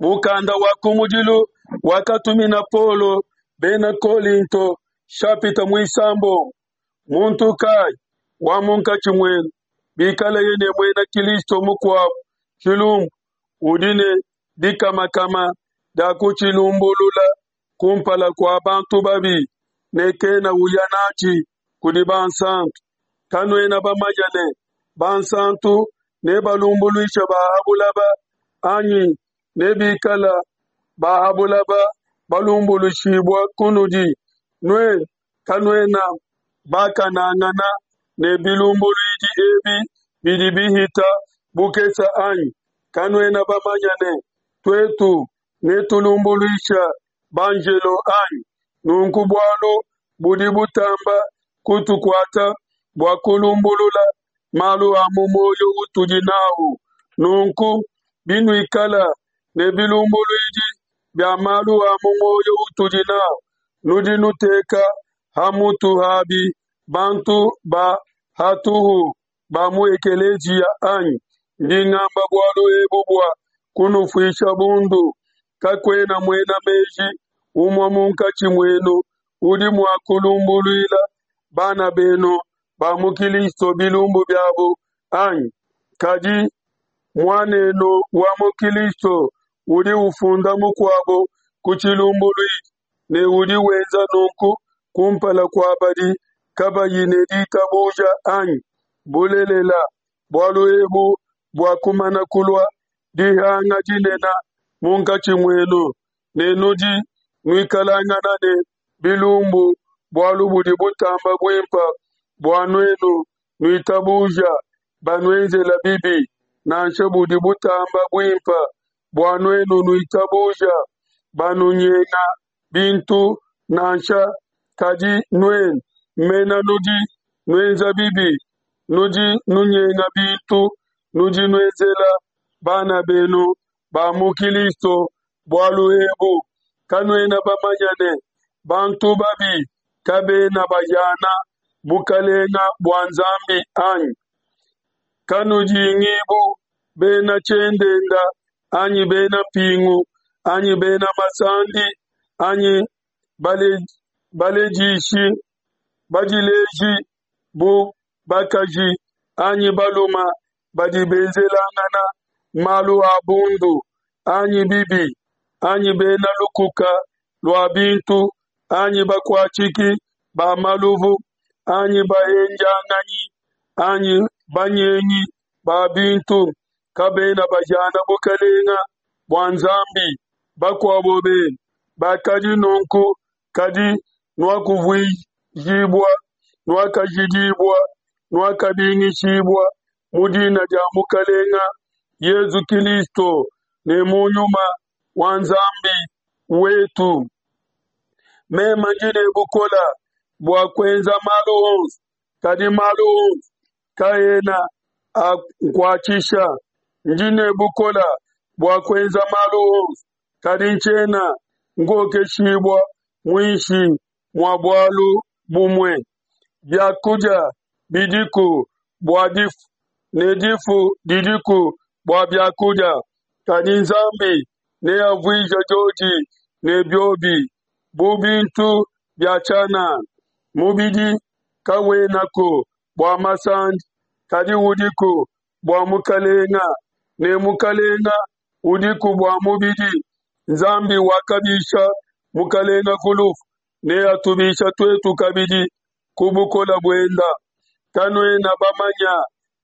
Mukanda wa kumudilu wakatumina Paulo bena Kolinto, shapita muisambombo. Muntu kayi wa munkatshi muenu, bikaleye ne muena Kilisto mukuabo tshilumbu, udi ne dikamakama dia kutshilumbulula kumpala kua bantu babi, ne kena uya natshi kudi bansantu? Kanuena bamanye ne, bansantu nebalumbuluishe ba ha bulaba, anyi? Ne bikala ba ha bulaba balumbuluishibua kunudi, nuenu kanuena bakanangana ne bilumbuluidi ebi bidi bihita bukese, anyi? Kanuena bamanye ne, Tuetu netulumbuluisha banjelo, anyi? Nunku bualu budi butamba kutukuata bua kulumbulula malu a mu muoyo utudi n'au. Nunku binuikala ne bilumbuluidi bia malu a mu muoyo utudi n'au, nudi nuteka ha mutu habi bantu ba hatuhu ba mu ekeleziya, anyi? Ndi ngamba bualu ebu bua kunufuisha bundu. Kakuena muena meji umue munkatshi muenu udi mua kulumbuluila bana benu ba mu Kilisto bilumbu biabo, anyi? Kadi muanenu wa mu Kilisto udi ufunda mukuabo ku tshilumbuluidi, ne udi wenza nunku kumpala kua badi kabayi ne ditabuja, anyi? Bulelela, bualu ebu buakumana kulua dihanga dinene munkatshi muenu, ne nudi nuikalangana ne bilumbu. Bualu budi butamba buimpe bua nuenu nuitabuja banuenzela bibi, nansha budi butamba buimpe bua nuenu nuitabuja banunyenga bintu nansha. Kadi nuenu mena nudi nuenza bibi, nudi nunyenga bintu, nudi nuenzela bana benu ba mu Kilisto bualu ebu. Kanuena bamanye ne, bantu babi kabena bahiana bukelenge bua Nzambi, anyi? Kanudingibu bena tshiendenda, anyi bena mpingu, anyi bena masandi, anyi baledishi badileji bu bakaji anyi balume badi benzelangana malu a bundu, anyi bibi, anyi bena lukuka lua bintu, anyi bakuatshiki ba maluvu, anyi bahendianganyi, anyi banyengi ba bintu, kabena bahiana bukelenge bua Nzambi. Bakuabo benu bakadi nunku, kadi nuakuvuijibua, nuakajidibua, nuakabingishibua mu dina dia Mukelenge Yesu Kilisto ne mu Nyuma wa Nzambi wetu. Meme ndi ne bukole bua kuenza malu onso, kadi malu onso kaena ankuatshisha. Ndi ne bukole bua kuenza malu onso, kadi ntshiena nkokeshibua muinshi mua bualu bumue. Biakudia bidiku bua difu, ne difu didiku bua biakudia, kadi Nzambi neavuije diodi ne biobi bu bintu bia tshianana. Mubidi kawenaku bua masandi, kadi udiku bua Mukalenga, ne Mukalenga udiku bua mubidi. Nzambi wakabisha Mukalenga ku lufu, neatubisha tuetu kabidi ku bukole buenda. Kanuena bamanya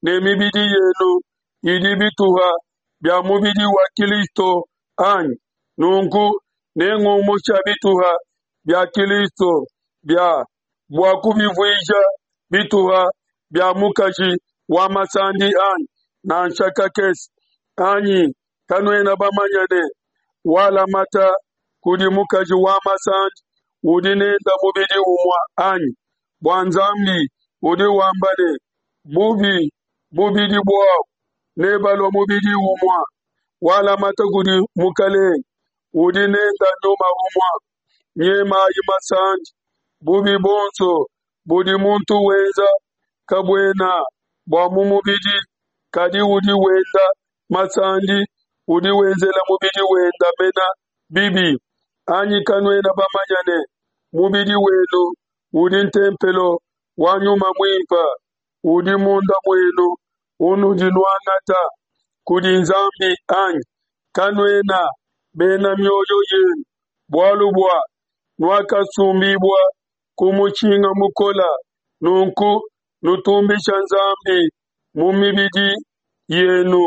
ne mibidi yenu idi bituha bia mubidi wa Kilisto, anyi? Nunku nengumusha bituha bia Kilisto bia bua kubivuija bituha bia mukaji wa masandi, anyi? Nansha kakese! Anyi kanuena bamanya ne, walamata kudi mukaji wa masandi udi nenda mubidi umue, anyi? Bua Nzambi udi wamba ne, Bubi bubidi buabu nebalua mubidi umue. Walamata kudi Mukelenge udi nenda nyuma umue. Nyemayi masandi. Bubi buonso budi muntu wenza kabuena bua mu mubidi, kadi udi wenda masandi. udi wenzela mubidi wenda mena bibi. Anyi kanuena bamanya ne mubidi wenu udi ntempelo wa Nyuma Muimpa udi munda muenu unudi nuangata kudi Nzambi anyi? Kanuena bena mioyo yenu, bualu bua nuakasumbibua ku mushinga mukola, nunku nutumbisha Nzambi mu mibidi yenu.